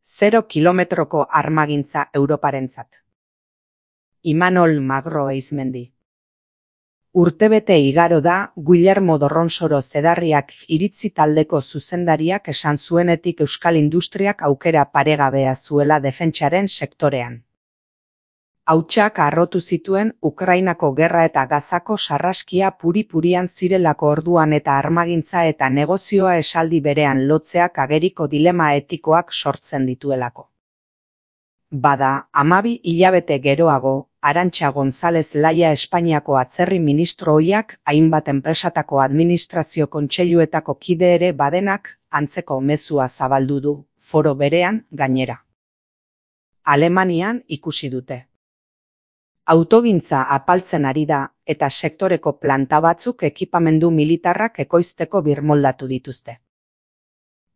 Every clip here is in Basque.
0 kilometroko armagintza Europarentzat. Imanol Magro Eizmendi. Urtebete igaro da Guillermo Dorronsoro Zedarriak iritzi taldeko zuzendariak esan zuenetik euskal industriak aukera paregabea zuela defentsaren sektorean. Hautsak harrotu zituen Ukrainako gerra eta Gazako sarraskia puri-purian zirelako orduan eta armagintza eta negozioa esaldi berean lotzeak ageriko dilema etikoak sortzen dituelako. Bada, 12 hilabete geroago, Arantxa González Laya Espainiako atzerri ministro ohiak hainbat enpresatako administrazio kontseiluetako kide ere badenak antzeko mezua zabaldu du, foro berean gainera. Alemanian ikusi dute. Autogintza apaltzen ari da eta sektoreko planta batzuk ekipamendu militarrak ekoizteko birmoldatu dituzte.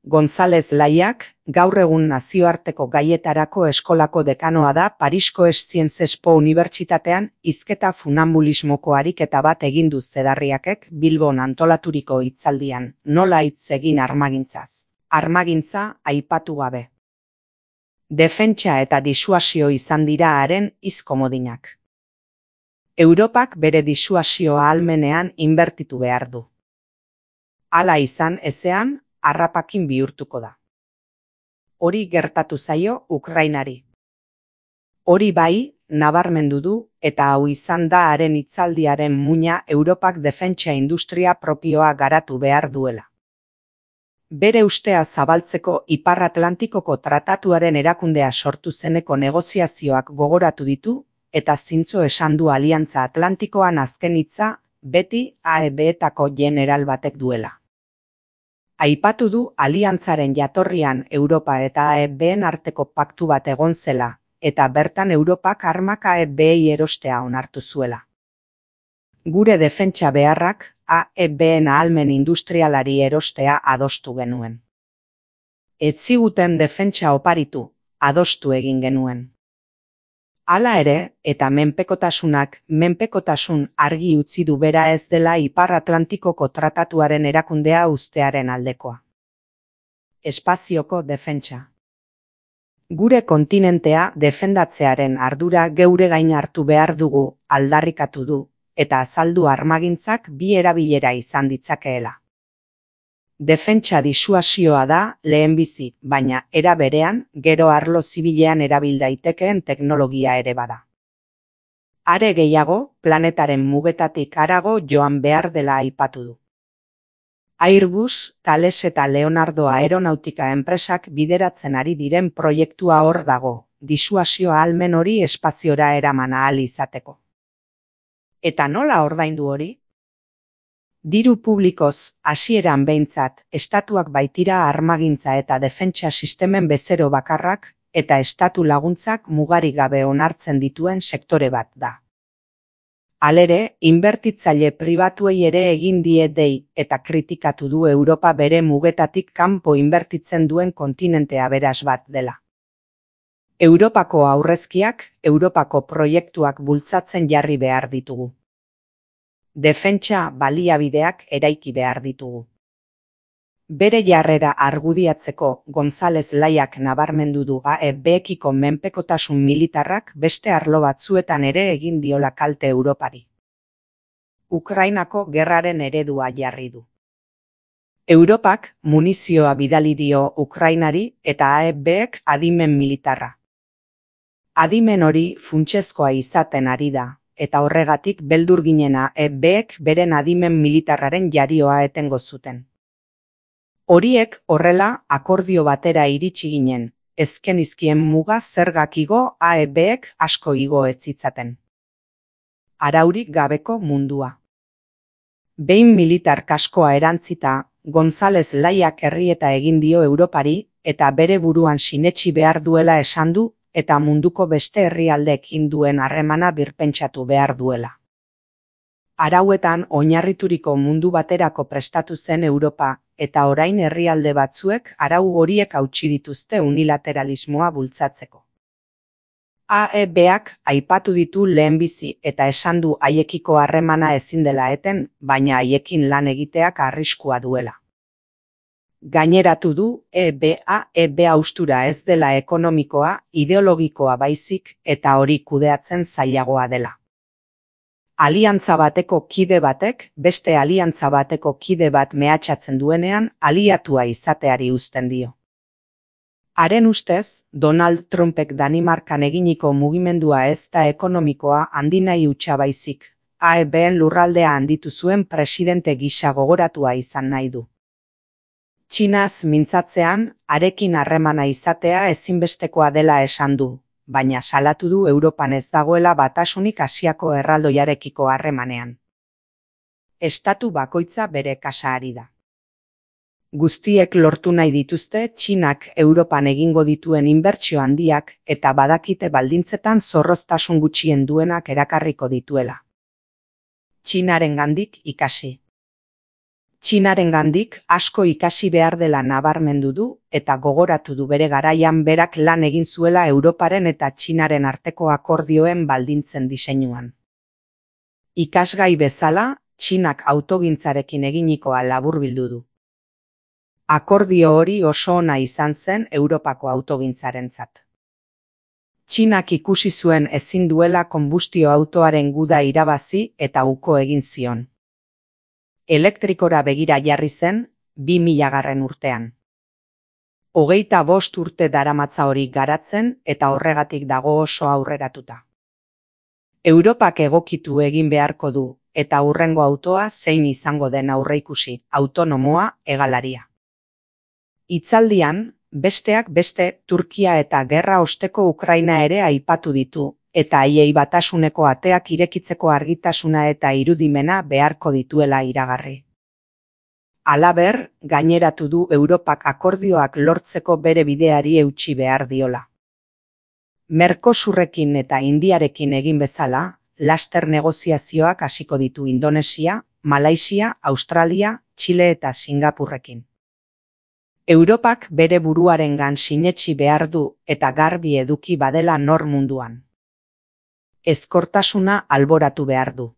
González Layak, gaur egun nazioarteko gaietarako eskolako dekanoa da Parisko Sciences Po Unibertsitatean hizketa funambulismoko ariketa bat egin du Zedarriakek Bilbon antolaturiko hitzaldian, nola hitz egin armagintzaz. Armagintza aipatu gabe. Defentsa eta disuasio izan dira haren hitz komodinak. Europak bere disuasio ahalmenean inbertitu behar du. Hala izan ezean, harrapakin bihurtuko da. Hori gertatu zaio Ukrainari. Hori bai, nabarmendu du, eta hau izan da haren hitzaldiaren muina Europak defentsa industria propioa garatu behar duela. Bere ustea zabaltzeko Ipar Atlantikoko tratatuaren erakundea sortu zeneko negoziazioak gogoratu ditu, eta zintzo esan du Aliantza Atlantikoan azken hitza beti AEB-etako general batek duela. Aipatu du aliantzaren jatorrian Europa eta AEB-en arteko paktu bat egon zela, eta bertan Europak armak AEB-ei erostea onartu zuela. Gure defentsa beharrak AEB-en ahalmen industrialari erostea adostu genuen. Ez ziguten defentsa oparitu, adostu egin genuen. Hala ere, eta menpekotasun argi utzi du bera ez dela Ipar Atlantikoko tratatuaren erakundea uztearen aldekoa. Espazioko defentsa. Gure kontinentea defendatzearen ardura geure gain hartu behar dugu aldarrikatu du, eta azaldu armagintzak bi erabilera izan ditzakeela. Defentsa disuasioa da lehenbizi, baina era berean gero arlo zibilean erabil daitekeen teknologia ere bada. Are gehiago, planetaren mugetatik harago joan behar dela aipatu du. Airbus, Thales eta Leonardo aeronautika enpresak bideratzen ari diren proiektua hor dago, disuasio ahalmen hori espaziora eraman ahal izateko. Eta nola ordaindu hori? Diru publikoz, hasieran behintzat, estatuak baitira armagintza eta defentsa sistemen bezero bakarrak eta estatu laguntzak mugarik gabe onartzen dituen sektore bat da. Halere, inbertitzaile pribatuei ere egin die dei eta kritikatu du Europa bere mugetatik kanpo inbertitzen duen kontinente aberas bat dela. Europako aurrezkiak, Europako proiektuak bultzatzen jarri behar ditugu. Defentsa baliabideak eraiki behar ditugu. Bere jarrera argudiatzeko González Layak nabarmendu du AEB-ekiko menpekotasun militarrak beste arlo batzuetan ere egin diola kalte Europari. Ukrainako gerraren eredua jarri du. Europak munizioa bidali dio Ukrainari eta AEB-ek adimen militarra. Adimen hori funtsezkoa izaten ari da. Eta horregatik beldur ginena AEB-ek beren adimen militarraren jarioa etengo zuten. Horiek horrela akordio batera iritsi ginen, ezkenizkien muga zergak igo AEB-ek asko igo etzitzaten. Araurik gabeko mundua. Behin militar kaskoa erantzita, González Layak errieta egin dio Europari eta bere buruan sinetsi behar duela esan du, eta munduko beste herrialdeekin duen harremana birpentsatu behar duela. Arauetan oinarrituriko mundu baterako prestatu zen Europa, eta orain herrialde batzuek arau horiek hautsi dituzte unilateralismoa bultzatzeko. AEB-ak aipatu ditu lehenbizi eta esan du haiekiko harremana ezin dela eten, baina haiekin lan egiteak arriskua duela. Gaineratu du EBA haustura ez dela ekonomikoa, ideologikoa baizik eta hori kudeatzen zailagoa dela. Aliantza bateko kide batek beste aliantza bateko kide bat mehatxatzen duenean aliatua izateari uzten dio. Haren ustez, Donald Trumpek Danimarkan eginiko mugimendua ez da ekonomikoa handinai hutsa baizik, AEBen lurraldea handitu zuen presidente gisa gogoratua izan nahi du. Txinaz mintzatzean, harekin harremana izatea ezinbestekoa dela esan du, baina salatu du Europan ez dagoela batasunik Asiako erraldoiarekiko harremanean. Estatu bakoitza bere kasa ari da. Guztiek lortu nahi dituzte Txinak Europan egingo dituen inbertsio handiak eta badakite baldintzetan zorroztasun gutxien duenak erakarriko dituela. Txinarengandik ikasi. Txinarengandik asko ikasi behar dela nabarmendu du eta gogoratu du bere garaian berak lan egin zuela Europaren eta Txinaren arteko akordioen baldintzen diseinuan. Ikasgai bezala, Txinak autogintzarekin eginikoa laburbildu du. Akordio hori oso ona izan zen Europako autogintzarentzat. Txinak ikusi zuen ezin duela konbustio autoaren guda irabazi eta uko egin zion. Elektrikora begira jarri zen 2000 urtean. 25 urte daramatza hori garatzen eta horregatik dago oso aurreratuta. Europak egokitu egin beharko du eta hurrengo autoa zein izango den aurreikusi, autonomoa, hegalaria. Hitzaldian, besteak beste Turkia eta gerra osteko Ukraina ere aipatu ditu, eta haiei batasuneko ateak irekitzeko argitasuna eta irudimena beharko dituela iragarri. Halaber, gaineratu du Europak akordioak lortzeko bere bideari eutsi behar diola. Mercosurrekin eta Indiarekin egin bezala, laster negoziazioak hasiko ditu Indonesia, Malaisia, Australia, Txile eta Singapurrekin. Europak bere buruarengan sinetsi behar du eta garbi eduki badela nor munduan. Ezkortasuna alboratu behar du.